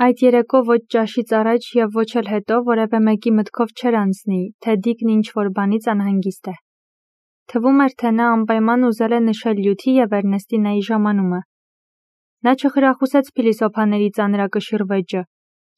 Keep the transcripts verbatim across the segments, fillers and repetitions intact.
Այդ երեկո ոչ ճաշից առաջ և ոչ էլ հետո որևէ մեկի մտքով չէր անցնի, թե Դիկն ինչ-որ բանից անհանգիստ է։ Թվում էր, թե նա անպայման ուզել է նշել Լյութի և Էրնեստինայի ժամանումը։ Նա չխրախուսեց փիլիսոփաների ծանրակշիռ վեճը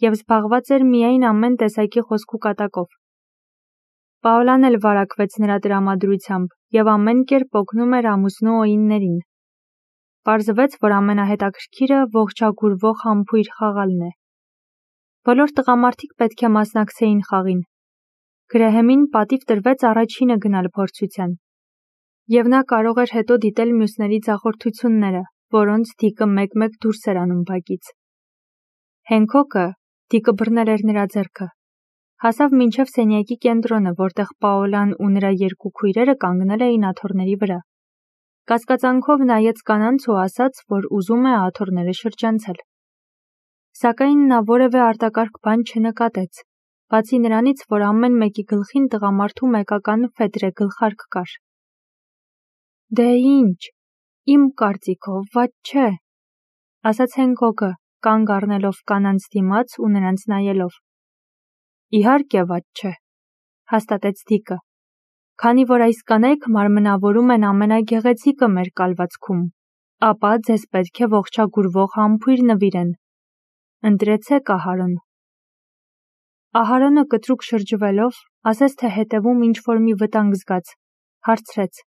և զբաղված էր միայն ամեն տեսակի խոսք ու կատակով։ Պաոլան էլ վարակվեց նրա տրամադրությամբ և ամեն կերպ օգնում էր ամուսնու Օյններին։ Պարզվեց, որ ամենահետաքրքիրը ողջագուրվող համբույր խաղալն է։ Բոլոր տղամարդիկ պետք է մասնակցեին խաղին։ Գրեհեմին պատիվ տրվեց առաջինը գնալ փորձության։ Եվ նա կարող էր հետո դիտել մյուսների ձախորդությունները, որոնց Դիկը մեկ-մեկ դուրս էր անում բակից։ Հենքոկը, Դիկը բռնել էր նրա ձեռքը, հասավ մինչև սենյակի կենտրոնը, որտեղ Պաոլան ու նրա երկու քույրերը կանգնել էին աթոռների վրա։ Կասկածանքով նայեց կանանց ու ասաց, որ ուզում է աթոռները շրջանցել։ Սակայն նա որևէ արտակարգ բան չնկատեց, բացի նրանից, որ ամեն մեկի գլխին տղամարդու մեկական ֆետրե գլխարկ կար։ Դե ինչ, իմ կարծիքով վատ չէ, ասաց Հենքոկը, կանգ առնելով կանանց դիմաց ու նրանց նայելով։ Իհարկե վատ չէ, հաստատեց Դիկը, քանի որ այս կանայք մարմնավորում են ամենագեղեցիկը մեր կալվածքում, ապա ձեզ պետք է ողջագուրվող համբույր նվիրեն։ Ընտրեցեք Ահարոն։ Ահարոնը կտրուկ շրջվելով, ասես թե հետևում ինչ-որ մի վտանգ զգաց, հարցրեց.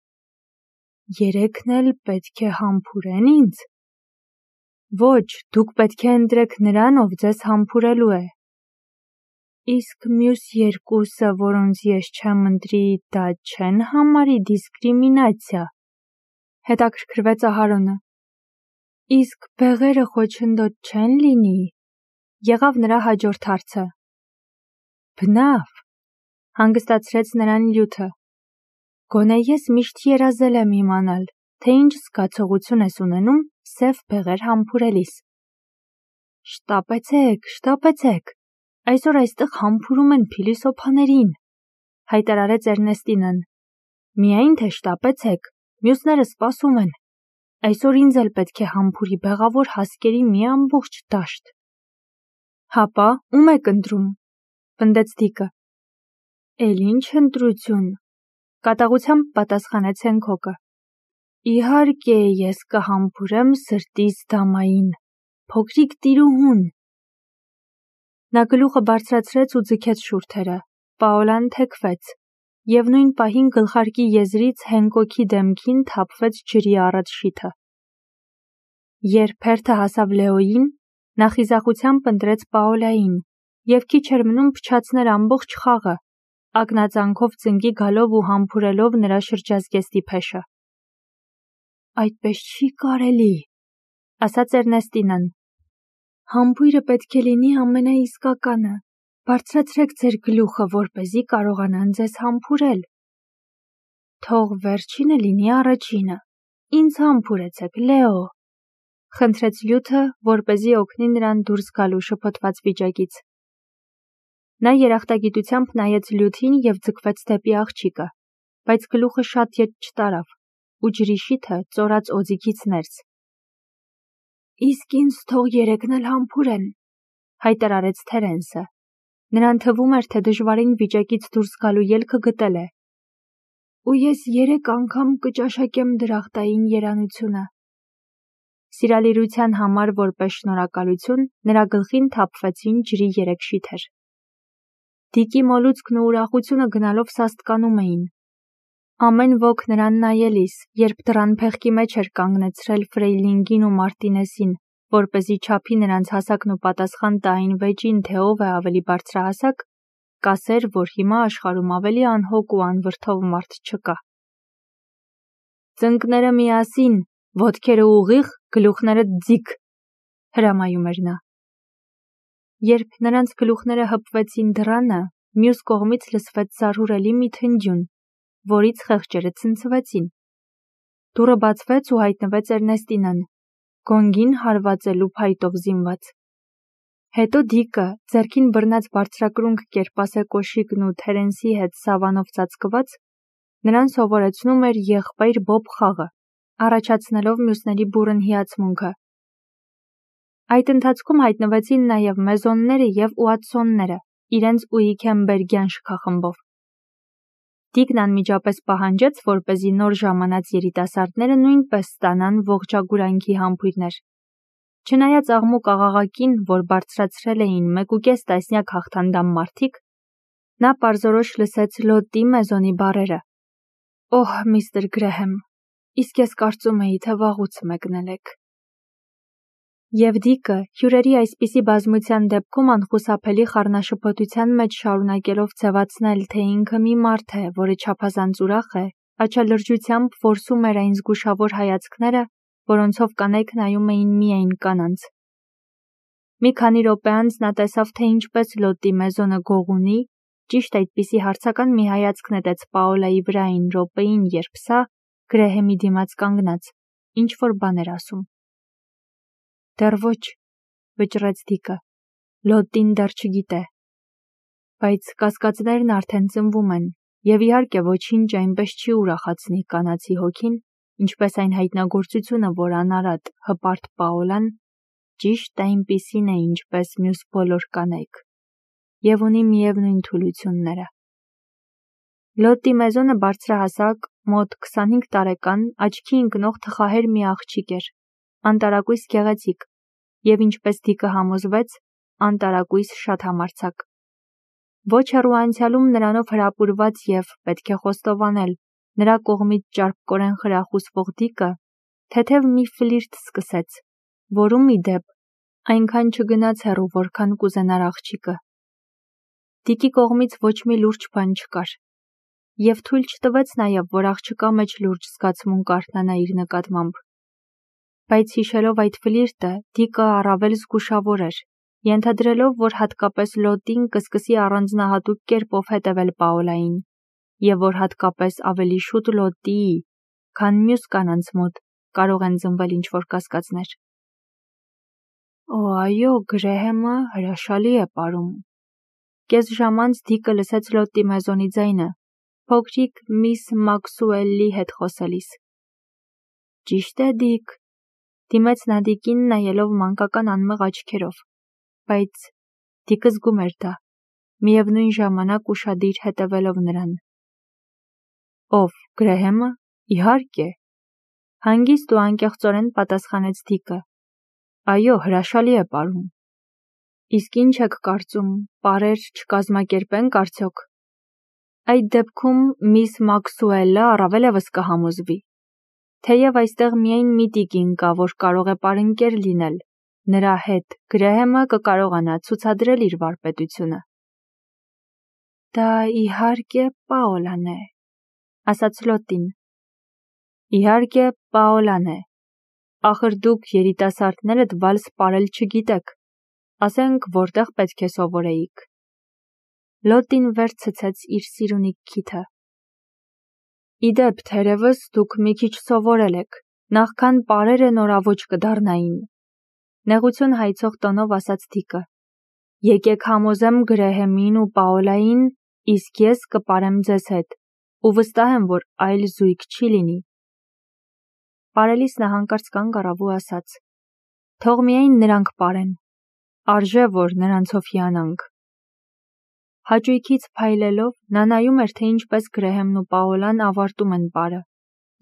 Երեքն էլ պետք է համբուրեն ինձ։ Ոչ, դուք պետք է ընտրեք նրան, ով ձեզ համբուրելու է։ Իսկ մյուս երկուսը, որոնց ես չեմ ընտրի, դա չեն համարի դիսկրիմինացիա, հետաքրքրվեց Ահարոնը։ Իսկ բեղերը խոչընդոտ չեն լինի, եղավ նրա հաջորդ հարցը։ Բնավ, հանգստացրեց նրան Լյութը։ Գոնե ես միշտ երազել եմ իմանալ, թե ինչ զգացողություն ես ունենում սև բեղեր համբուրելիս։ Շտապեցեք, շտապեցեք, այսօր այստեղ համբուրում են փիլիսոփաներին, հայտարարեց Էրնեստինան։ Միայն թե շտապեցեք, մյուսները սպասում են։ Այսօր ինձ էլ պետք է համբուրի բեղավոր հասկերի մի ամբողջ դաշտ։ Հապա, ում եք ընտրում, պնդեց Դիկը։ Էլ ինչ ընտրություն, կատաղությամբ պատասխանեց Հենքոկը։ Իհարկե, ես կհամբուրեմ սրտիս դամային, փոքրիկ տիրուհուն։ Նա գլուխը բարձրացրեց ու ձգեց շուրթերը, Պաոլան թեքվեց, և նույն պահին գլխարկի եզրից Հենքոկի դեմքին թափվեց ջրի առաջշիթը։ Երբ հերթը հասավ Լեոյին, նա խիզախությամբ ընտրեց Պաոլային և քիչ էր մնում փչացներ ամբողջ խաղը, ակնածանքով ծնկի գալով ու համբուրելով նրա շրջազգեստի փեշը։ Այդպես չի կարելի, ասաց Էրնեստինան։ Համբույրը պետք է լինի ամենաիսկականը, բարձրացրեք ձեր գլուխը, որպեսզի կարողանան ձեզ համբուրել։ Թող վերջինը լինի առաջինը, ինձ համբուրեցեք, Լեո, խնդրեց Լյութը, որպեսզի օգնի նրան դուրս գալու շփոթված վիճակից։ Նա երախտագիտությամբ նայեց Լյութին և ձգվեց դեպի աղջիկը, բայց գլուխը շատ ետ չտարավ, ու ջրի շիթը ծորաց օձիքից ներս։ Իսկ ինձ թող երեքն էլ համբուրեն, հայտարարեց Թերենսը։ Նրան թվում էր, թե դժվարին վիճակից դուրս գալու ելքը գտել է։ Ու ես երեք անգամ կճաշակեմ դրախտային երանությունը։ Սիրալիրության համար որպես շնորհակալություն նրա գլխին թափվեցին ջրի երեք շիթեր։ Դիկի մոլուցքն ու ուրախությունը գնալով սաստկանում էին։ Ամեն ոք նրան նայելիս, երբ դռան փեղկի մեջ էր կանգնեցրել Ֆրեյլինգին ու Մարտինեսին, որպեսզի չափի նրանց հասակն ու պատասխան տա այն վեճին, թե ով է ավելի բարձրահասակ, կասեր, որ հիմա աշխարհում ավելի անհոգ ու անվրդով մարդ չկա։ Ծնկները միասին, ոտքերը ուղիղ, գլուխները ձիգ, հրամայում էր նա։ Երբ նրանց գլուխները հպվեցին դռանը, մյուս կողմից լսվեց զարհուրելի մի թնջյուն, որից խեղճերը ցնցվեցին։ Դուռը բացվեց ու հայտնվեց Էրնեստինան, գոնգին հարվածելու փայտով զինված։ Հետո Դիկը, ձեռքին բռնած բարձրակրունկ կերպասե կոշիկն ու Թերենսի հետ սավանով ծածկված, նրան սովորեցնում էր եղբայր Բոբ խաղը, առաջացնելով մյուսների բուռն հիացմունքը։ Այդ ընթացքում հայտնվեցին նաև մեզոնները և ուատսոնները, իրենց ուիքենբերգյան շքախմբով։ Դիկն անմիջապես պահանջեց, որպեսզի նոր ժամանած երիտասարդները նույնպես ստանան ողջագուրանքի համբույրներ։ Չնայած աղմուկ աղաղակին, որ բարձրացրել էին մեկուկես տասնյակ հաղթանդամ մարդիկ, նա պարզորոշ լսեց Լոտի մեզոնի բառերը. «Օհ, միստր Գրեհեմ, իսկ ես կարծում էի, թե վաղուց մեկնել եք»։ Եվ Դիկը, հյուրերի այսպիսի բազմության դեպքում անխուսափելի խառնաշփոթության մեջ շարունակելով ձևացնել, թե ինքը մի մարդ է, որը չափազանց ուրախ է, աչալրջությամբ որսում էր այն զգուշավոր հայացքները, որոնցով կանայք նայում էին միայն կանանց։ Մի քանի րոպե անց նա տեսավ, թե ինչպես Լոտի մեզոնը գողունի, ճիշտ այդպիսի հարցական մի հայացք նետեց Պաոլայի վրա այն րոպեին, երբ սա, Գրեհեմի դիմաց կանգնած, ինչ-որ բան էր ասում։ «Դեռ ոչ», վճռեց Դիկը, «Լոտին դեռ չգիտե։ Բայց կասկածներն արդեն ծնվում են, և իհարկե ոչինչ այնպես չի ուրախացնի կանացի հոգին, ինչպես այն հայտնագործությունը, որ անարատ, հպարտ Պաոլան ճիշտ այնպիսին է, ինչպես մյուս բոլոր կանայք, և ունի միևնույն թուլությունները»։ Լոտի մեզոնը բարձրահասակ, մոտ քսանհինգ տարեկան, աչքի ընկնող թխահեր մի աղջիկ էր, անտարակույս գեղեցիկ, և ինչպես Դիկը համոզվեց, անտարակույս շատ համարձակ։ Ոչ հեռու անցյալում նրանով հրապուրված և, պետք է խոստովանել, նրա կողմից ճարպկորեն խրախուսվող Դիկը թեթև մի ֆլիրտ սկսեց, որում, ի դեպ, այնքան չգնաց հեռու, որքան կուզենար աղջիկը։ Դիկի կողմից ոչ մի լուրջ բան չկար, և թույլ չտվեց նաև, որ աղջկա մեջ լուրջ զգացմունք արթնանա իր նկատմամբ։ Բայց հիշելով այդ ֆլիրտը, Դիկը առավել զգուշավոր էր, ենթադրելով, որ հատկապես Լոտին կսկսի առանձնահատուկ կերպով հետևել Պաոլային, և որ հատկապես ավելի շուտ Լոտիի, քան մյուս կանանց մոտ կարող են ծնվել ինչ-որ կասկածներ։ «Օ, այո, Գրեհեմը հրաշալի է պարում»։ Կես ժամ անց Դիկը լսեց Լոտի մեզոնի ձայնը, փոքրիկ միս Մաքսուելի հետ խոսելիս։ «Ճիշտ է, Դիկ», դիմեց նա Դիկին, նայելով մանկական անմեղ աչքերով, բայց Դիկը զգում էր դա, միևնույն ժամանակ ուշադիր հետևելով նրան։ «Ով, Գրեհեմը, իհարկե», հանգիստ ու անկեղծորեն պատասխանեց Դիկը։ «Այո, հրաշալի է պարում»։ «Իսկ ինչ եք կարծում, պարեր չկազմակերպենք արդյոք։ Այդ դեպքում միս Մաքսուելը առավել ևս կհամոզվի։ Թեև այստեղ միայն մի տիկին կա, որ կարող է պարընկեր լինել, նրա հետ Գրեհեմը կկարողանա ցուցադրել իր վարպետությունը»։ «Դա, իհարկե, Պաոլան է», ասաց Լոտին։ «Իհարկե, Պաոլան է։ Ախր դուք երիտասարդներդ վալս պարել չգիտեք, ասենք որտեղ պետք է սովորեիք»։ Լոտին վեր ցցեց իր սիրունիկ քիթը։ «Ի դեպ, թերևս դուք մի քիչ սովորել եք, նախքան պարերը նորաոճ կդառնային», նեղություն հայցող տոնով ասաց Դիկը։ «Եկեք համոզեմ Գրեհեմին ու Պաոլային, իսկ ես կպարեմ ձեզ հետ, ու վստահ եմ, որ այլ զույգ չի լինի»։ Պարելիս նա հանկարծ կանգ առավ ու ասաց. «Թող միայն նրանք պարեն, արժե, որ նրանցով հիանանք»։ Հաճույքից փայլելով, նա նայում էր, թե ինչպես Գրեհեմն ու Պաոլան ավարտում են պարը,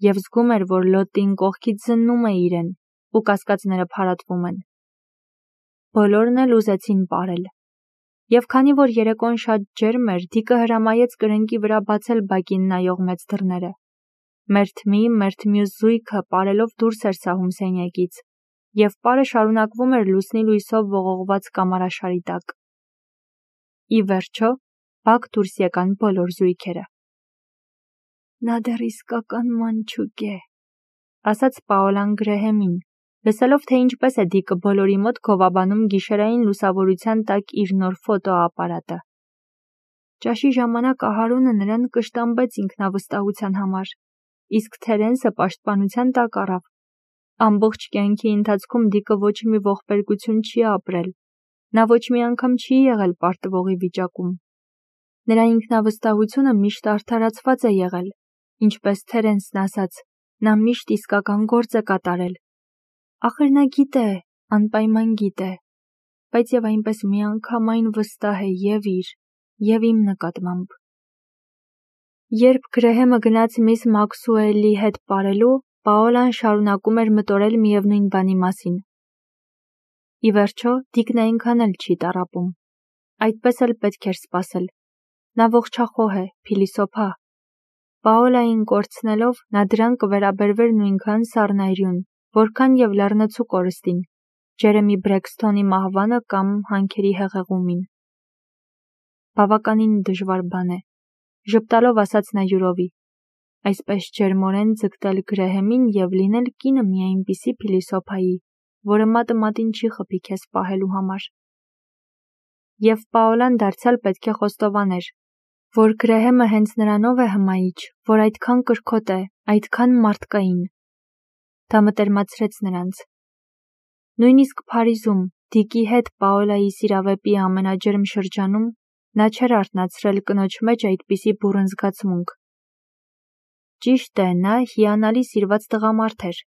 և զգում էր, որ Լոտին կողքից զննում է իրեն, ու կասկածները փարատվում են։ Բոլորն էլ ուզեցին պարել։ Եվ քանի որ երեկոն շատ ջերմ էր, Դիկը հրամայեց կրնկի վրա բացել բակին նայող մեծ դռները։ Մերթ մի, մերթ մյուս զույգը պարելով դուրս էր սահում սենյակից, և պարը շարունակվում էր լուսնի լույսով ողողված կամարաշարի տակ։ Ի վերջո, բակ դուրս եկան բոլոր զույգերը։ «Նա դեռ իսկական մանչուկ է», ասաց Պաոլան Գրեհեմին, լսելով, թե ինչպես է Դիկը բոլորի մոտ գովաբանում գիշերային լուսավորության տակ իր նոր ֆոտոապարատը։ Ճաշի ժամանակ Ահարոնը նրան կշտամբեց ինքնավստահության համար, իսկ Թերենսը պաշտպանության տակ առավ։ Ամբողջ կյանքի ընթացքում Դիկը ոչ մի ողբերգություն չի ապրել, նա ոչ մի անգամ չի եղել պարտվողի վիճակում։ Նրա ինքնավստահությունը միշտ արդարացված է եղել, ինչպես Թերենսն ասաց, նա միշտ իսկական գործ է կատարել։ Ախր նա գիտե, անպայման գիտե, բայց և այնպես միանգամայն վստահ է և իր, և իմ նկատմամբ։ Երբ Գրեհեմը գնաց միս Մաքսուելի հետ պարելու, Պաոլան շարունակում էր մտորել միևնույն բանի մասին։ Ի վերջո, Դիկն այնքան էլ չի տառապում։ Այդպես էլ պետք էր սպասել։ Նա ողջախոհ է, փիլիսոփա։ Պաոլային կորցնելով, նա դրան կվերաբերվեր նույնքան սառնայրյուն, որքան և լեռնցու կորստին, Ջերեմի Բրեքսթոնի մահվանը կամ հանքերի հեղեղումին։ Բավականին դժվար բան է, ժպտալով ասաց նա յուրովի, այսպես ջերմորեն ձգտել Գրեհեմին և լինել կինը մի այնպիսի փիլիսոփայի, որը մատը մատին չի խփի քեզ պահելու համար։ Եվ Պաոլան դարձյալ պետք է խոստովաներ, որ Գրեհեմը հենց նրանով է հմայիչ, որ այդքան կրքոտ է, այդքան մարդկային։ Դա մտերմացրեց նրանց։ Նույնիսկ Փարիզում, Դիկի հետ Պաոլայի սիրավեպի ամենաջերմ շրջանում, նա չէր արթնացրել կնոջ մեջ այդպիսի բուռն զգացմունք։ Ճիշտ է, նա հիանալի սիրված տղամարդ էր,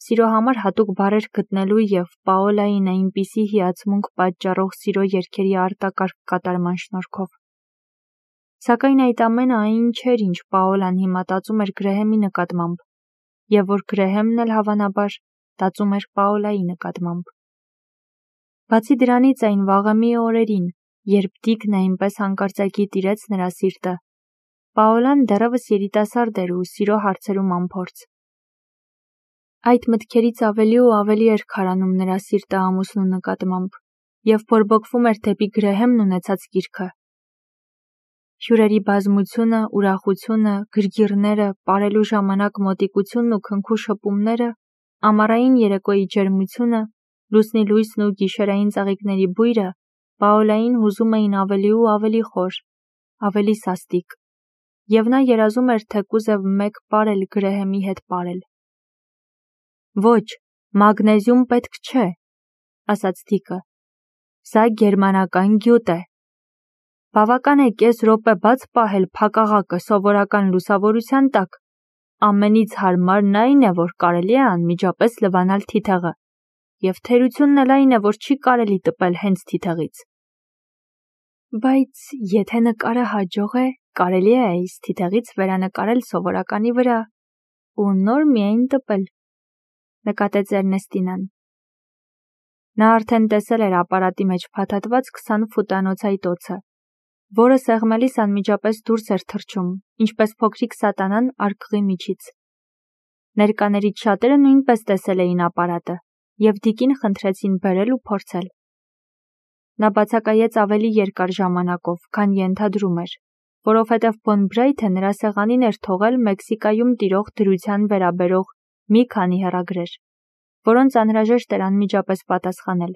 սիրո համար հատուկ բառեր գտնելու և Պաոլային այնպիսի հիացմունք պատճառող սիրո երգերի արտակարգ կատարման շնորհքով։ Սակայն այդ ամենը այն չէր, ինչ Պաոլան հիմա տածում էր Գրեհեմի նկատմամբ, և որ Գրեհեմն էլ հավանաբար տածում էր Պաոլայի նկատմամբ։ Բացի դրանից այն վաղեմի օրերին, երբ Դիկն այնպես հանկարծակի տիրեց նրա սիրտը, Պաոլան դեռևս երիտասարդ էր ու սիրո հարցերում անփորձ։ Այդ մտքերից ավելի ու ավելի էր քարանում նրա սիրտը ամուսնու նկատմամբ և բորբոքվում էր դեպի Գրեհեմն ունեցած կիրքը։ Հյուրերի բազմությունը, ուրախությունը, գրգիռները, պարելու ժամանակ մոտիկությունն ու քնքու շփումները, ամառային երեկոյի ջերմությունը, լուսնի լույսն ու գիշերային ծաղիկների բույրը Պաոլային հուզում էին ավելի ու ավելի խոր, ավելի սաստիկ, և նա երազում էր թեկուզև մեկ պար էլ Գրեհեմի հետ պարել։ Ոչ, մագնեզիում պետք չէ, ասաց Դիկը, սա գերմանական գյուտ է։ Բավական է կես րոպե բաց պահել փակաղակը սովորական լուսավորության տակ, ամենից հարմարն այն է, որ կարելի է անմիջապես լվանալ թիթեղը, և թերությունն էլ այն է, որ չի կարելի տպել հենց թիթեղից։ Բայց եթե նկարը հաջող է, կարելի է այս թիթեղից վերանկարել սովորականի վրա ու նոր միայն տպել, նկատեց Էրնեստինան։ Նա արդեն տեսել էր ապարատի մեջ փաթաթված քսան ֆուտանոց այտոցը, որը սեղմելիս անմիջապես դուրս էր թռչում, ինչպես փոքրիկ սատանան արկղի միջից։ Ներկաներից շատերը նույնպես տեսել էին ապարատը և Դիկին խնդրեցին բերել ու փորձել։ Նա բացակայեց ավելի երկար ժամանակով, քան ենթադրում էր, որովհետև Ֆոն Բրեյթը նրա սեղանին էր թողել Մեքսիկայում տիրող դրության վերաբերող մի քանի հեռագրեր, որոնց անհրաժեշտ էր անմիջապես պատասխանել։